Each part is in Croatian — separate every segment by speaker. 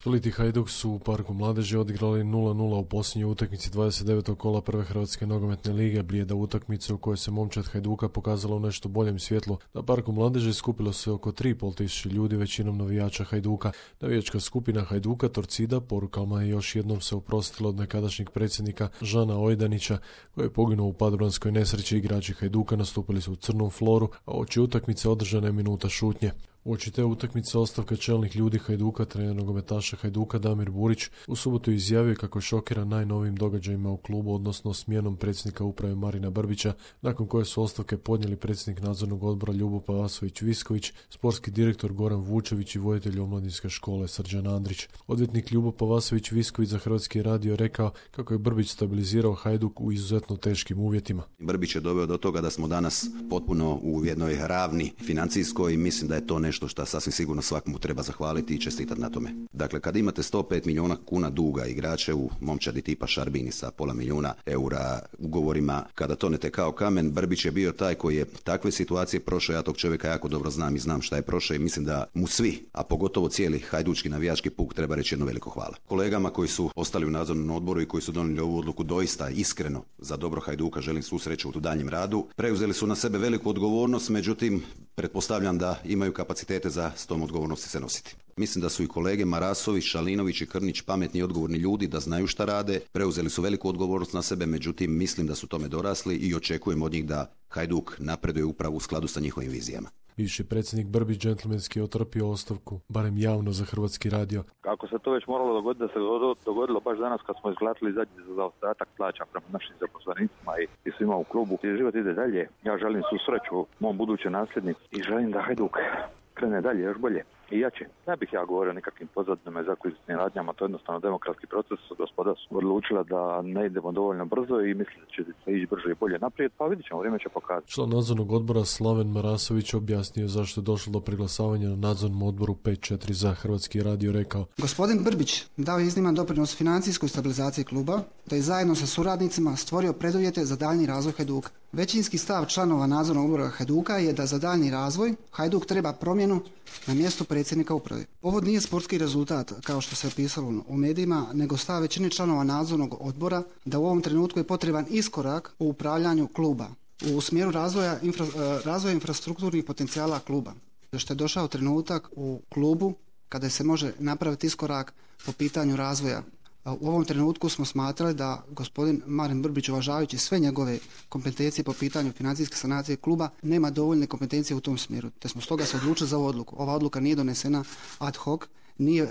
Speaker 1: Split i Hajduk su u Parku mladeži odigrali 0:0 u posljednjoj utakmici 29. kola prve Hrvatske nogometne lige. Blijeda utakmica u kojoj se momčad Hajduka pokazala u nešto boljem svjetlu. Na Parku mladeži skupilo se oko 3.500 ljudi, većinom navijača Hajduka. Navijačka skupina Hajduka Torcida porukama je još jednom se oprostila od nekadašnjeg predsjednika Žana Ojdanića, koji je poginuo u padobranskoj nesreći. Igrači Hajduka nastupili su u crnom floru, a uoči utakmice održana je minuta šutnje. Uoči te utakmice ostavka čelnih ljudi Hajduka, trener nogometaša Hajduka Damir Burić u subotu izjavio kako je šokiran najnovijim događajima u klubu, odnosno smjenom predsjednika uprave Marina Brbića, nakon koje su ostavke podnijeli predsjednik nadzornog odbora Ljubo Pavasović-Visković, sportski direktor Goran Vučević i voditelj omladinske škole Srđan Andrić. Odvjetnik Ljubo Pavasović-Visković za Hrvatski radio rekao kako je Brbić stabilizirao Hajduk u izuzetno teškim uvjetima.
Speaker 2: Brbić je doveo do toga da smo danas potpuno u jednoj ravni financijskoj i mislim da je to nešto što sasvim sigurno svakomu treba zahvaliti i čestitati na tome. Dakle, kad imate 105 milijuna kuna duga igrače u momčadi tipa Šarbini sa pola milijuna eura ugovorima, kada tonete kao kamen, Brbić je bio taj koji je takve situacije prošao. Ja tog čovjeka jako dobro znam i znam šta je prošao i mislim da mu svi, a pogotovo cijeli hajdučki navijački puk, treba reći jedno veliko hvala. Kolegama koji su ostali u nadzornom odboru i koji su donijeli ovu odluku doista iskreno za dobro Hajduka želim svu sreću u daljnjem radu. Preuzeli su na sebe veliku odgovornost, međutim pretpostavljam da imaju kapacitete za s tom odgovornosti se nositi. Mislim da su i kolege Marasović, Šalinović i Krnić pametni i odgovorni ljudi, da znaju šta rade, preuzeli su veliku odgovornost na sebe, međutim mislim da su tome dorasli i očekujem od njih da Hajduk napreduje upravo u skladu sa njihovim vizijama.
Speaker 1: Bivši predsjednik Brbić džentlmenski je otrpio ostavku, barem javno za Hrvatski radio.
Speaker 3: Kako se to već moralo dogoditi, da se dogodilo baš danas kad smo izglatili zadnji za zaostatak plaća prema našim zaposlenicima i svima u klubu. I život ide dalje. Ja želim svu sreću mom budućem nasljedniku i želim da Hajduk krene dalje, još bolje i jače. Ne bih ja govorio o nekakvim pozadinama i zakuzitnim radnjama, to je jednostavno demokratski proces. Gospoda su odlučila da ne idemo dovoljno brzo i mislim da će se ići brže i bolje naprijed, pa vidit ćemo, vrijeme će pokazati.
Speaker 1: Član nadzornog odbora Slaven Marasović objasnio zašto je došlo do preglasavanja na nadzornom odboru 5-4 za Hrvatski radio, rekao:
Speaker 4: Gospodin Brbić dao je izniman doprinos financijskoj stabilizaciji kluba, da je zajedno sa suradnicima stvorio preduvjete za daljnji razvoj Hajduka. Većinski stav članova nadzornog odbora Hajduka je da za daljnji razvoj Hajduk treba promjenu na mjestu predsjednika uprave. Ovo nije sportski rezultat, kao što se pisalo u medijima, nego stav većine članova nadzornog odbora da u ovom trenutku je potreban iskorak u upravljanju kluba u smjeru razvoja infrastrukturnih potencijala kluba. Što je došao trenutak u klubu kada se može napraviti iskorak po pitanju razvoja. U ovom trenutku smo smatrali da gospodin Marin Brbić, uvažavajući sve njegove kompetencije po pitanju financijske sanacije kluba, nema dovoljne kompetencije u tom smjeru. Te smo stoga se odlučili za ovu odluku. Ova odluka nije donesena ad hoc, nije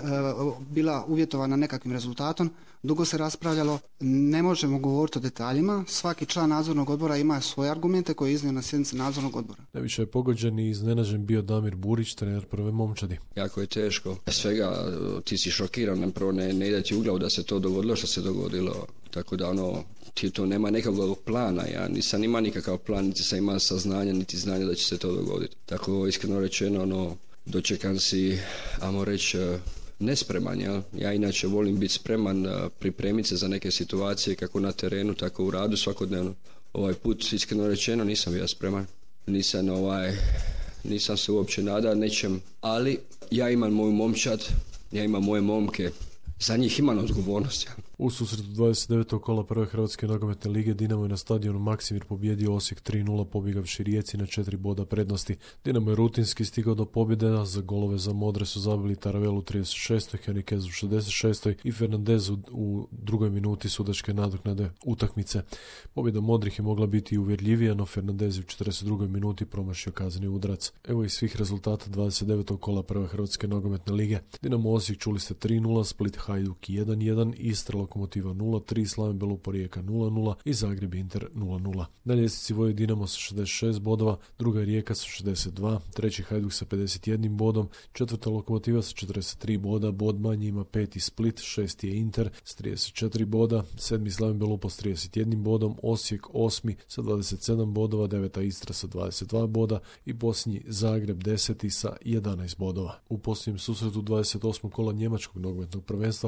Speaker 4: bila uvjetovana nekakvim rezultatom, dugo se raspravljalo, ne možemo govoriti o detaljima, svaki član nadzornog odbora ima svoje argumente koje je iznio na sjednici nadzornog odbora.
Speaker 1: Najviše je pogođen i iznenađen bio Damir Burić, trener prve momčadi.
Speaker 5: Jako je teško, svega ti si šokiran, prvo ne ide ti u glavu da se to dogodilo što se dogodilo, tako da ti to nema nekakvog plana, ja nisam imao nikakav plan, niti sam imao saznanja, niti znanja da će se to dogoditi. Tako iskreno rečeno, dočekan si, ajmo reći, nespreman. Ja inače volim biti spreman, pripremiti se za neke situacije kako na terenu, tako u radu svakodnevno. Ovaj put, iskreno rečeno, nisam bio spreman. Nisam se uopće nadao nečem, ali ja imam moju momčad, ja imam moje momke, za njih imam odgovornost.
Speaker 1: U susretu 29. kola prve Hrvatske nogometne lige Dinamo je na stadionu Maksimir pobijedio Osijek 3:0 pobjegavši Rijeci na 4 boda prednosti. Dinamo je rutinski stigao do pobjede, a za golove za Modre su zabili Taravel u 36. Henriquez u 66. i Fernandez u drugoj minuti sudačke nadoknade utakmice. Pobjeda Modrih je mogla biti uvjerljivija, no Fernandez u 42. minuti promašio kazneni udarac. Evo iz svih rezultata 29. kola prve Hrvatske nogometne lige. Dinamo Osijek čuli ste 3:0, Split Hajduk 1:1, Istra Lokomotiva 0:3, Slaven Belupo Rijeka 0:0 i Zagreb Inter 0:0. Na ljestvici vodi Dinamo sa 66 bodova, druga je Rijeka sa 62, treći Hajduk sa 51 bodom, četvrta Lokomotiva sa 43 boda, bod manji ima peti Split, šesti je Inter s 34 boda, sedmi Slaven Belupo s 31 bodom, Osijek osmi sa 27 bodova, deveta Istra sa 22 boda i posljednji Zagreb 10. sa 11 bodova. U posljednjem susretu 28. kola njemačkog nogometnog prvenstva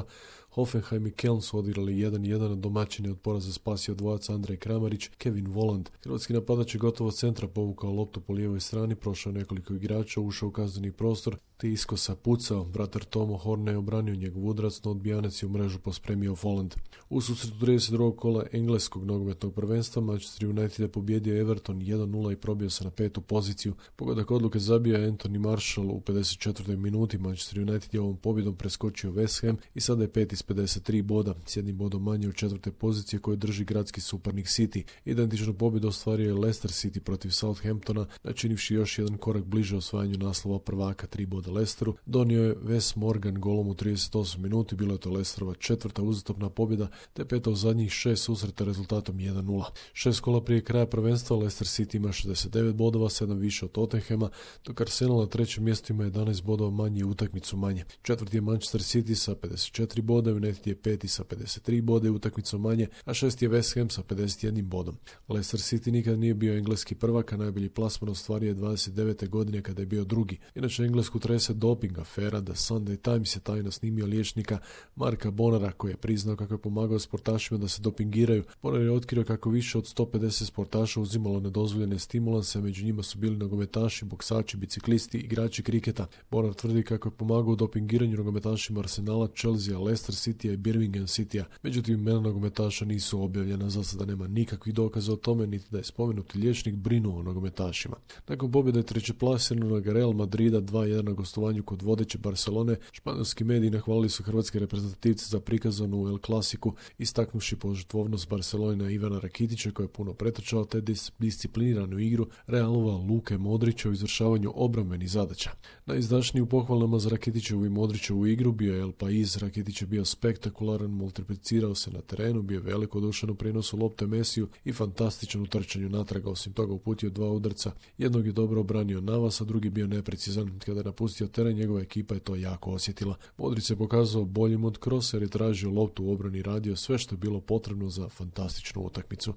Speaker 1: Hoffenheim i Köln su odigrali 1:1, domaćin je od poraza spasio dvojac Andrej Kramarić, Kevin Voland. Hrvatski napadač je gotovo centra povukao loptu po lijevoj strani, prošao nekoliko igrača, ušao u kazneni prostor, te iskosa pucao, bratar Tomo Horne je obranio njegov udarac, no odbijanac je u mrežu pospremio Folland. U susretu 32. kola engleskog nogometnog prvenstva Manchester United je pobjedio Everton 1-0 i probio se na 5. poziciju. Pogodak odluke zabio Anthony Marshall u 54. minuti. Manchester United je ovom pobjedom preskočio West Ham i sada je 5 iz 53 boda, s jednim bodom manje od 4. pozicije koje drži gradski suparnik City. Identičnu pobjedu ostvario je Leicester City protiv Southamptona, načinivši još jedan korak bliže osvajanju naslova prvaka, 3 boda Leicesteru. Donio je Wes Morgan golom u 38 minuti, bilo je to Leicesterova 4. uzastopna pobjeda, te 5. u zadnjih 6 susreta rezultatom 1-0. 6 kola prije kraja prvenstva Leicester City ima 69 bodova, 7 više od Tottenhama, dok Arsenal na 3. mjestu ima 11 bodova manje i utakmicu manje. 4. je Manchester City sa 54 boda, United je 5. sa 53 boda i utakmicu manje, a 6. je West Ham sa 51 bodom. Leicester City nikad nije bio engleski prvak, a najbolji plasman ostvario je 29. godine kada je bio drugi. Inače, Englesku trese doping afera. The Sunday Times je tajno snimio liječnika Marka Bonara koji je priznao kako je pomagao sportašima da se dopingiraju. Bonar je otkrio kako više od 150 sportaša uzimalo nedozvoljene stimulanse, među njima su bili nogometaši, boksači, biciklisti, igrači kriketa. Bonar tvrdi kako je pomagao u dopingiranju nogometašima Arsenala, Chelsea, Leicester Citya i Birmingham Citya. Međutim, imena nogometaša nisu objavljena, za sada nema nikakvih dokaza o tome, niti da je spomenuti liječnik brinuo o nogometašima. Nakon pobjede trećeplasiranog Real Madrida 2-1 na gostovanju kod vodeće Barcelone, španjolski mediji nahvalili su hrvatske reprezentativce za prikazanu El Clasiku, istaknuši požrtvovnost Barcelona Ivana Rakitića koji je puno pretrčao te discipliniranu igru Realova Luke Modrića u izvršavanju obrambenih zadaća. Najizdašniji u pohvalama za Rakitićevu i Modrićevu igru bio je El Pais. Rakitić je bio spektakularan, multiplicirao se na terenu, bio velikodušan u prijenosu lopte Mesiju i fantastičan u trčanju natraga. Osim toga uputio 2 udarca, jednog je dobro obranio Navas, a drugi bio neprecizan. Kada je napustio teren, njegova ekipa je to jako osjetila. Modrić se pokazao boljim od Krosa jer je tražio loptu u obrani, radio sve što je bilo potrebno za fantastičnu utakmicu.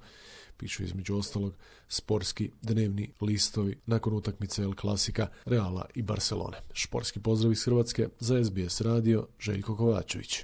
Speaker 1: Pišu između ostalog sportski dnevni listovi nakon utakmice El Klasika Reala i Barcelone. Športski pozdrav iz Hrvatske za SBS radio, Željko Kovačević.